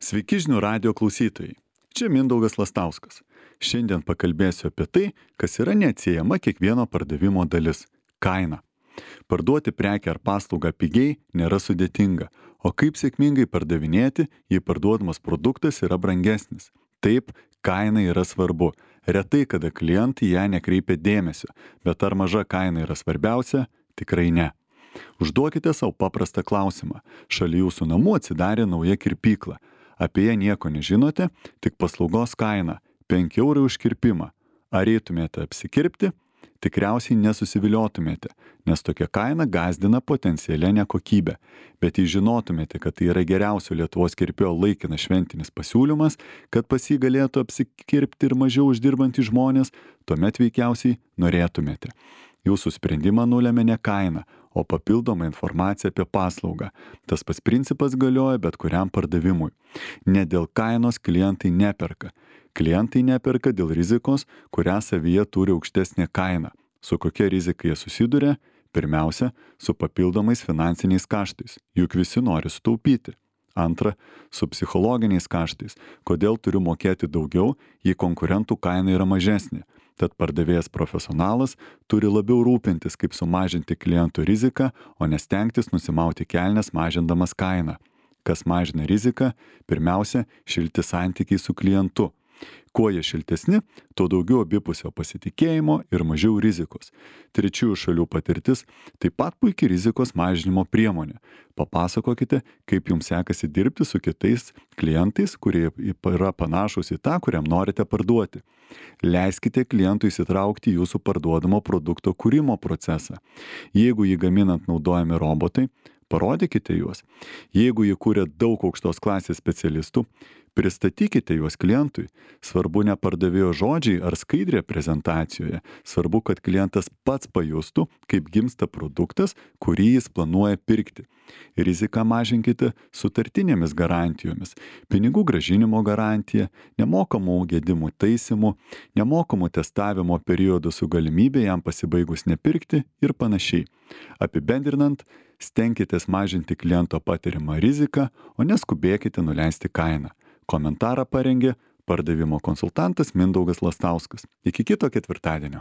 Sveiki žinių radio klausytojai. Čia Mindaugas Lastauskas. Šiandien pakalbėsiu apie tai, kas yra neatsiejama kiekvieno pardavimo dalis - kaina. Parduoti prekę ar paslaugą pigiai nėra sudėtinga, o kaip sėkmingai pardavinėti, jei parduodamas produktas yra brangesnis. Taip, kaina yra svarbu. Retai kada klientai ją nekreipia dėmesio, bet ar maža kaina yra svarbiausia? Tikrai ne. Užduokite savo paprastą klausimą. Šalia jūsų namų atsidarė nauja kirpykla. Apie ją nieko nežinote, tik paslaugos kaina - 5 eurai už kirpimą. Ar eitumėte apsikirpti? Tikriausiai nesusiviliotumėte, nes tokia kaina gąsdina potencialia nekokybė. Bet jei žinotumėte, kad tai yra geriausio Lietuvos kirpėjo laikinas šventinis pasiūlymas, kad pas jį galėtų apsikirpti ir mažiau uždirbantys žmonės, tuomet veikiausiai norėtumėte. Jūsų sprendimą nulėmė ne kaina, o papildoma informacija apie paslaugą. Tas pats principas galioja bet kuriam pardavimui. Ne dėl kainos klientai neperka. Klientai neperka dėl rizikos, kurią savyje turi aukštesnė kaina. Su kokia rizika jie susiduria? Pirmiausia, su papildomais finansiniais kaštais. Juk visi nori sutaupyti. Antra, su psichologiniais kaštais. Kodėl turiu mokėti daugiau, jei konkurentų kaina yra mažesnė? Tad pardavėjas profesionalas turi labiau rūpintis, kaip sumažinti klientų riziką, o nestengtis nusimauti kelnes mažindamas kainą. Kas mažina riziką? Pirmiausia, šilti santykiai su klientu. Kuo jie šiltesni, tuo daugiau abipusio pasitikėjimo ir mažiau rizikos. Trečiųjų šalių patirtis taip pat puikiai rizikos mažinimo priemonė. Papasakokite, kaip jums sekasi dirbti su kitais klientais, kurie yra panašus į tą, kuriam norite parduoti. Leiskite klientui įsitraukti į jūsų parduodamo produkto kūrimo procesą. Jeigu jį gaminant naudojami robotai, parodykite juos. Jeigu jį kūrė daug aukštos klasės specialistų, pristatykite juos klientui. Svarbu ne pardavėjo žodžiai ar skaidrė prezentacijoje. Svarbu, kad klientas pats pajustų, kaip gimsta produktas, kurį jis planuoja pirkti. Riziką mažinkite sutartinėmis garantijomis. Pinigų grąžinimo garantija, nemokamų gedimų taisymų, nemokamų testavimo periodų su galimybė jam pasibaigus nepirkti ir panašiai. Apibendrinant, stenkitės mažinti kliento patiriamą riziką, o neskubėkite nuleisti kainą. Komentarą parengė pardavimo konsultantas Mindaugas Lastauskas. Iki kito ketvirtadienio.